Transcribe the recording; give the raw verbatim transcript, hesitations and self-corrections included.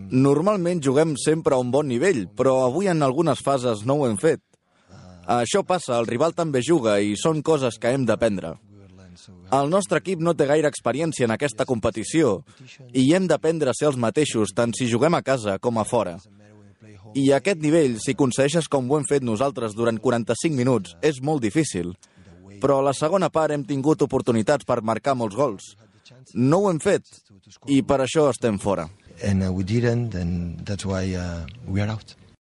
Normalment juguem sempre a un bon nivell, però avui en algunes fases no ho hem fet. Això passa, el rival també juga i són coses que hem d'aprendre. El nostre equip no té gaire experiència en aquesta competició i hem d'aprendre a ser els mateixos tant si juguem a casa com a fora. I a aquest nivell, si aconsegueixes com ho hem fet nosaltres durant quaranta-cinc minuts, és molt difícil. Però a la segona part hem tingut oportunitats per marcar molts gols. No ho hem fet i per això estem fora. And uh, we didn't, and that's why uh, we are out.